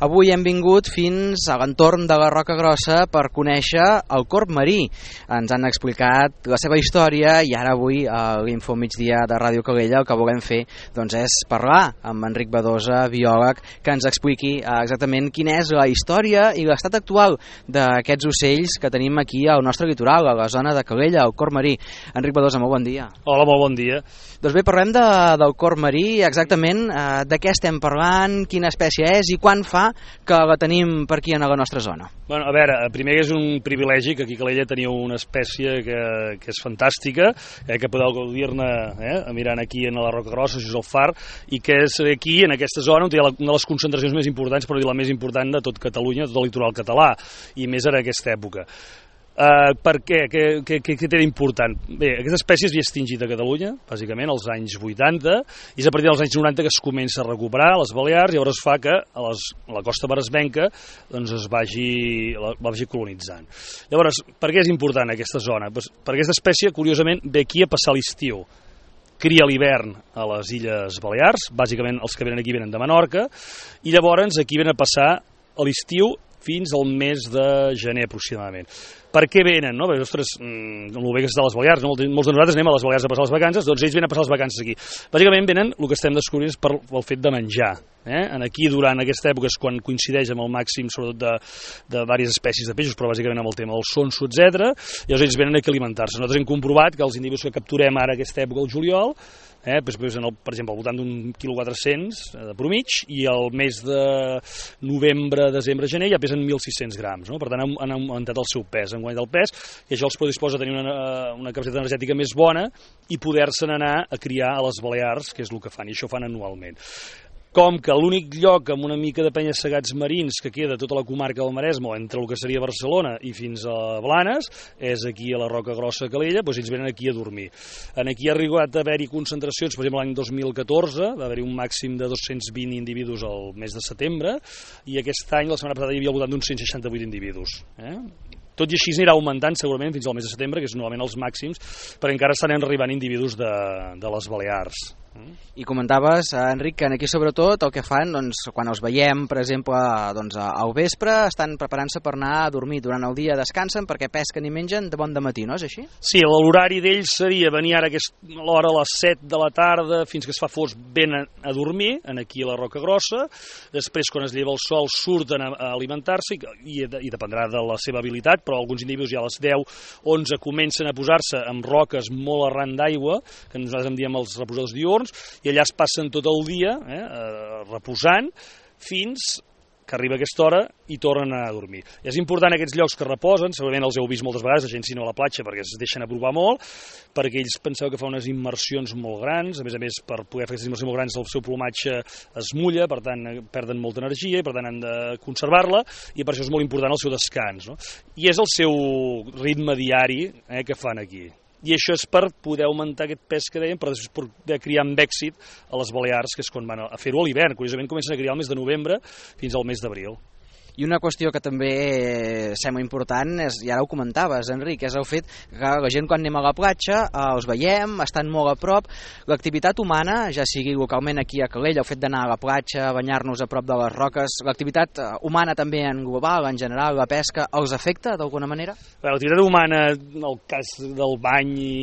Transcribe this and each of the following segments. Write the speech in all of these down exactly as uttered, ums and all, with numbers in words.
Avui hem vingut fins a l'entorn de la Roca Grossa per conèixer el corb marí. Ens han explicat la seva història i ara avui a l'Info Migdia de Ràdio Calella el que volem fer doncs, és parlar amb Enric Badosa, biòleg, que ens expliqui exactament quina és la història i l'estat actual d'aquests ocells que tenim aquí al nostre litoral, a la zona de Calella, el corb marí. Enric Badosa, molt bon dia. Hola, molt bon dia. Doncs bé, parlem de, del corb marí, exactament eh, de què estem parlant, quina espècie és i quan fa que la tenim per aquí a la nostra zona. Bueno, a veure, primer és un privilegi que aquí a Calella teniu una espècie que, que és fantàstica, eh, que podeu gaudir-ne eh, mirant aquí a la Roca Grossa, això és el far, i que és aquí, en aquesta zona, on hi ha una de les concentracions més importants, però la més important de tot Catalunya, de tot el litoral català, i més en aquesta època. Uh, per què? Què, què, què té d'important? Bé, aquesta espècie es havia extingit a Catalunya, bàsicament, als anys vuitanta, i és a partir dels anys noranta que es comença a recuperar a les Balears, i llavors fa que a, les, a la costa maresmenca doncs es vagi, la, vagi colonitzant. Llavors, per què és important aquesta zona? Pues, perquè aquesta espècie, curiosament, ve aquí a passar l'estiu. Cria l'hivern a les Illes Balears, bàsicament els que venen aquí venen de Menorca, i llavors aquí venen a passar a l'estiu fins al mes de gener aproximadament. Per què venen? No? Perquè, ostres, amb el bé que està a les Balears, no? Molts de nosaltres anem a les Balears a passar les vacances, doncs ells venen a passar les vacances aquí. Bàsicament venen, el que estem descobrint és per el fet de menjar. Eh? Aquí, durant aquesta època, és quan coincideix amb el màxim, sobretot de, de diverses espècies de peixos, però bàsicament amb el tema del sonso, etcètera. I llavors ells venen aquí a alimentar-se. Nosaltres hem comprovat que els individus que capturem ara aquesta època, el juliol, Eh, doncs, el, per exemple, al voltant d'un quilo quatre-cents de promig, i el mes de novembre, desembre, gener ja pesen mil sis-cents grams, no? Per tant han, han augmentat el seu pes, han guanyat el pes, i això els predisposa a tenir una, una capacitat energètica més bona i poder-se'n anar a criar a les Balears, que és el que fan, i això fan anualment. Com que l'únic lloc amb una mica de penya-segats marins que queda tota la comarca del Maresme, entre el que seria Barcelona i fins a Blanes, és aquí a la Roca Grossa a Calella, doncs ells venen aquí a dormir. Aquí ha arribat a haver-hi concentracions, per exemple l'any dos mil catorze, va haver-hi un màxim de dos-cents vint individus al mes de setembre, i aquest any, la setmana passada, hi havia al voltant d'uns cent seixanta-vuit individus. Eh? Tot i així anirà augmentant segurament fins al mes de setembre, que és normalment els màxims, perquè encara estan arribant individus de, de les Balears. I comentaves, Enric, que aquí sobretot el que fan, doncs, quan els veiem, per exemple, doncs, al vespre, estan preparant-se per anar a dormir. Durant el dia descansen perquè pesquen i mengen de bon dematí, no és així? Sí, l'horari d'ells seria venir ara que és l'hora a les set de la tarda fins que es fa fosc, venen a dormir, aquí a la Roca Grossa. Després, quan es lleva el sol, surten a alimentar-se i, i dependrà de la seva habilitat, però alguns individus ja a les deu, onze comencen a posar-se amb roques molt arran d'aigua, que nosaltres en diem els reposadors diürns, i allà es passen tot el dia eh, reposant fins que arriba aquesta hora i tornen a dormir. I és important aquests llocs que reposen, segurament els heu vist moltes vegades, la gent si no a la platja perquè es deixen aprovar molt, perquè ells penseu que fa unes immersions molt grans, a més a més per poder fer aquestes immersions molt grans el seu plomatge es mulla, per tant perden molta energia i per tant han de conservar-la, i per això és molt important el seu descans. No? I és el seu ritme diari eh, que fan aquí. I això és per poder augmentar aquest pes que dèiem, per després poder criar amb èxit a les Balears, que és quan van a fer-ho a l'hivern. Curiosament comencen a criar el mes de novembre fins al mes d'abril. I una qüestió que també sembla important, és, i ara ho comentaves, Enric, és el fet que la gent quan anem a la platja els veiem, estan molt a prop. L'activitat humana, ja sigui localment aquí a Calella, el fet d'anar a la platja, banyar-nos a prop de les roques, l'activitat humana també en global, en general, la pesca, els afecta d'alguna manera? L'activitat humana, en el cas del bany i,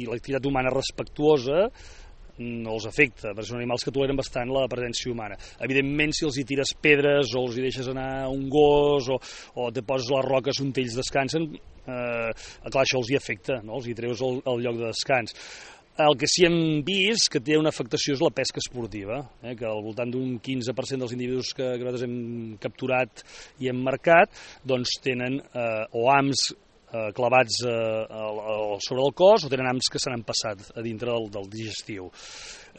i l'activitat humana respectuosa, no els afecta, perquè són animals que toleren bastant la presència humana. Evidentment, si els hi tires pedres o els hi deixes anar un gos o, o te poses les roques on ells descansen, eh, clar, això els hi afecta, no? Els hi treus el, el lloc de descans. El que sí hem vist que té una afectació és la pesca esportiva, eh, que al voltant d'un quinze per cent dels individus que, que nosaltres hem capturat i hem marcat doncs tenen eh, o hams eh, clavats eh, sobre el cos o tenen hams que se n'han passat a dintre del, del digestiu.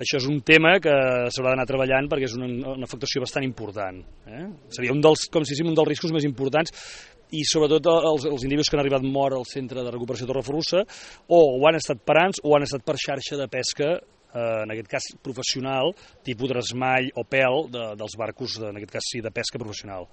Això és un tema que s'haurà d'anar treballant perquè és una, una afectació bastant important. Eh? Seria un dels, com si diguéssim, un dels riscos més importants, i sobretot els, els individus que han arribat mort al centre de recuperació Torreferrussa o ho han estat parants o han estat per xarxa de pesca, eh, en aquest cas professional, tipus tresmall o pèl de, dels barcos, de, en aquest cas sí, de pesca professional.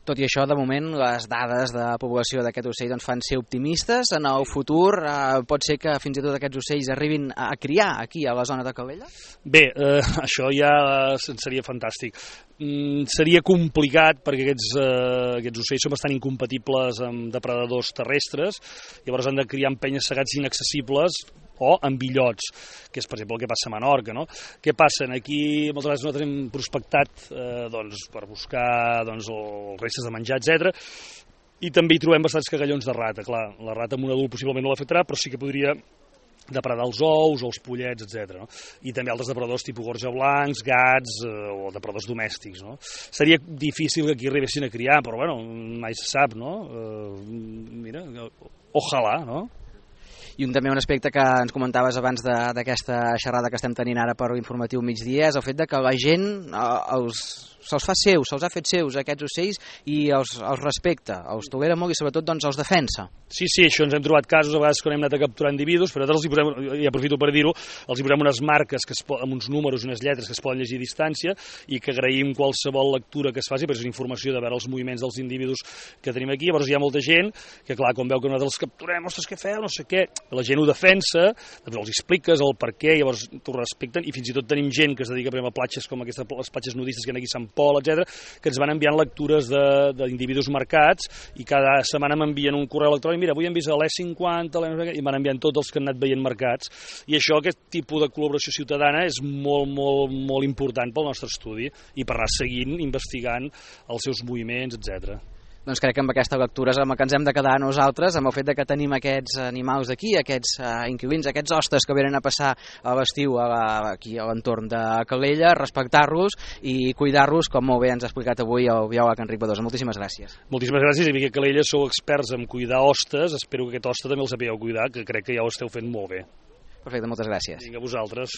Tot i això, de moment, les dades de població d'aquest ocell doncs, fan ser optimistes. En el futur eh, pot ser que fins i tot aquests ocells arribin a criar aquí a la zona de Calella? Bé, eh, això ja seria fantàstic. Mm, seria complicat perquè aquests, eh, aquests ocells són bastant incompatibles amb depredadors terrestres, llavors han de criar en penya-segats inaccessibles o amb illots, que és per exemple el que passa a Menorca, no? Què passa? Aquí moltes vegades nosaltres hem prospectat eh, doncs, per buscar doncs, els restes de menjar, etcètera, i també hi trobem bastants cagallons de rata. Clar, la rata amb un adult possiblement no l'afectarà, però sí que podria depredar els ous o els pollets, etcètera. No? I també altres depredadors tipus gorja blancs, gats eh, o depredadors domèstics. No? Seria difícil que aquí arribessin a criar, però bueno, mai se sap, no? Eh, mira, ojalà, no? I un, també un aspecte que ens comentaves abans d'aquesta xerrada que estem tenint ara per l'informatiu migdia és el fet de que la gent eh, els se'ls fa seus, se'ls ha fet seus aquests ocells i els, els respecta, els tolera molt i sobretot doncs, els defensa. Sí, sí, això ens hem trobat casos a vegades quan hem anat a capturar individus, però nosaltres els hi posem, i aprofito per dir-ho, els hi posem unes marques que es, amb uns números, unes lletres que es poden llegir a distància i que agraïm qualsevol lectura que es faci, perquè és informació de veure els moviments dels individus que tenim aquí. Llavors hi ha molta gent que, clar, quan veu que nosaltres els capturem, ostres, què feu, no sé què, la gent ho defensa, doncs els expliques el per què, llavors t'ho respecten, i fins i tot tenim gent que es dedica a platges com aquestes, les platges nudistes que hi ha aquí a Sant Pol, etcètera, que ens van enviant lectures d'individus marcats i cada setmana m'envien un correu electrònic, mira, avui hem vist l'E cinquanta, i van enviant tots els que han anat veient marcats, i això, aquest tipus de col·laboració ciutadana és molt, molt, molt important pel nostre estudi i per anar seguint, investigant els seus moviments, etcètera. Doncs crec que amb aquesta lectura és amb el que ens hem de quedar nosaltres, amb el fet de que tenim aquests animals aquí, aquests uh, inquilins, aquests hostes que venen a passar a l'estiu aquí a l'entorn de Calella, respectar-los i cuidar-los, com molt bé ens ha explicat avui el biòleg Enric Badosa. Moltíssimes gràcies. Moltíssimes gràcies, i que a Calella sou experts en cuidar hostes, espero que aquest hoste també el sapigueu cuidar, que crec que ja ho esteu fent molt bé. Perfecte, moltes gràcies. Vinga, a vosaltres.